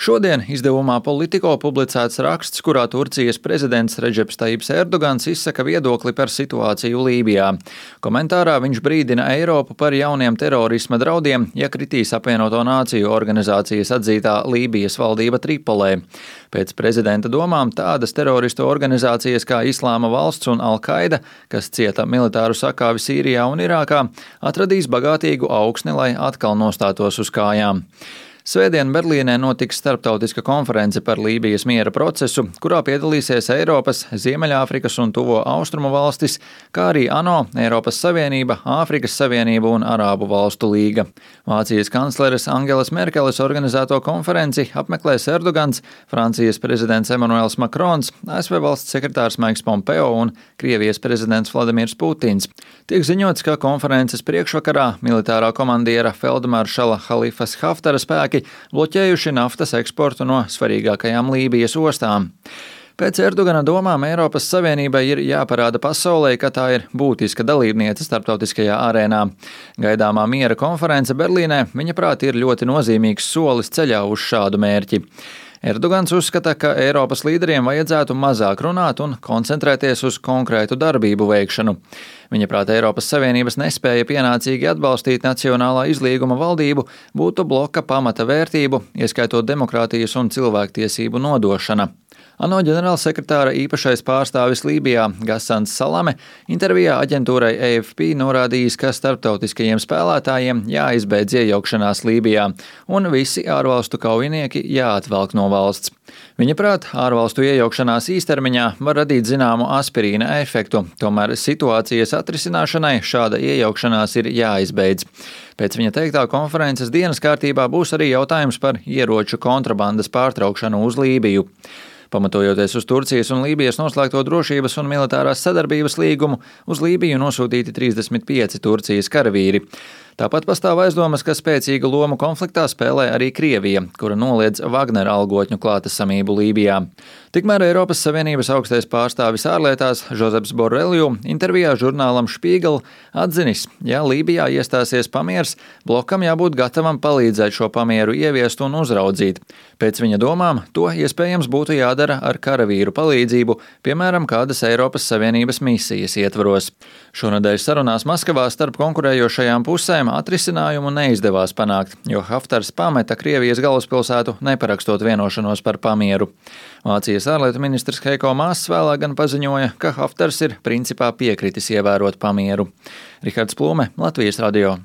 Šodien izdevumā Politico publicēts raksts, kurā Turcijas prezidents Redžeps Tajips Erdogans izsaka viedokli par situāciju Lībijā. Komentārā viņš brīdina Eiropu par jauniem terorisma draudiem, ja kritīs Apvienoto Nāciju organizācijas atzītā Lībijas valdība Tripolē. Pēc prezidenta domām tādas teroristu organizācijas kā Islāma valsts un Al-Qaida, kas cieta militāru sakāvi Sīrijā un Irākā, atradīs bagātīgu augsni, lai atkal nostātos uz kājām. Svētdien Berlīnē notiks starptautiska konference par Lībijas miera procesu, kurā piedalīsies Eiropas, Ziemeļāfrikas un Tuvo Austrumu valstis, kā arī ANO, Eiropas Savienība, Āfrikas Savienība un Arābu valstu līga. Vācijas kancleres Angelas Merkeles organizēto konferenci apmeklēs Erdogans, Francijas prezidents Emmanuels Macrons, ASV valsts sekretārs Maiks Pompeo un Krievijas prezidents Vladimirs Putins. Tiek ziņots, ka konferences priekšvakarā militārā komandiera feldmaršala Halifas Haftara spēki bloķējuši naftas eksportu no svarīgākajām Lībijas ostām. Pēc Erdogana domām Eiropas Savienībai ir jāparāda pasaulē, ka tā ir būtiska dalībniece starptautiskajā arēnā. Gaidāmā miera konference Berlīnē, viņa prāt, ir ļoti nozīmīgs solis ceļā uz šādu mērķi. Erdogans uzskata, ka Eiropas līderiem vajadzētu mazāk runāt un koncentrēties uz konkrētu darbību veikšanu. Viņa prāt, Eiropas Savienības nespēja pienācīgi atbalstīt nacionālā izlīguma valdību būtu bloka pamata vērtību, ieskaitot demokrātijas un cilvēktiesību nodošana. ANO ģenerālsekretāra īpašais pārstāvis Lībijā Gassans Salame intervijā aģentūrai AFP norādījis, ka starptautiskajiem spēlētājiem jāizbeidz iejaukšanās Lībijā un visi ārvalstu kaujinieki jāatvelk no valsts. Viņa prāt, ārvalstu iejaukšanās īstermiņā var radīt zināmu aspirīna efektu, tomēr situācijas atrisināšanai šāda iejaukšanās ir jāizbeidz. Pēc viņa teiktā konferences dienas kārtībā būs arī jautājums par ieroču kontrabandas pārtraukšanu uz Lībiju. Pamatojoties uz Turcijas un Lībijas noslēgto drošības un militārās sadarbības līgumu, uz Lībiju nosūtīti 35 Turcijas karavīri. Tāpat pastāv aizdomas, ka spēcīgu lomu konfliktā spēlē arī Krievija, kura noliedz Wagner algotņu klātesamību Lībijā. Tikmēr Eiropas Savienības augstais pārstāvis ārlietās Žozeps Borrelju intervijā žurnālam Spiegel atzinis, ja Lībijā iestāsies pamiers, blokam jābūt gatavam palīdzēt šo pamieru ieviest un uzraudzīt. Pēc viņa domām, to iespējams būtu jādara ar karavīru palīdzību, piemēram, kādas Eiropas Savienības misijas ietvaros. Šonedēļ sarunās Maskavā starp konkurējošajām pusēm atrisinājumu neizdevās panākt, jo Haftars pameta Krievijas galvaspilsētu, neparakstot vienošanos par pamieru. Vācijas ārlietu ministrs Heiko Maass vēlāk gan paziņoja, ka Haftars ir principā piekritis ievērot pamieru. Rihards Plūme, Latvijas radio.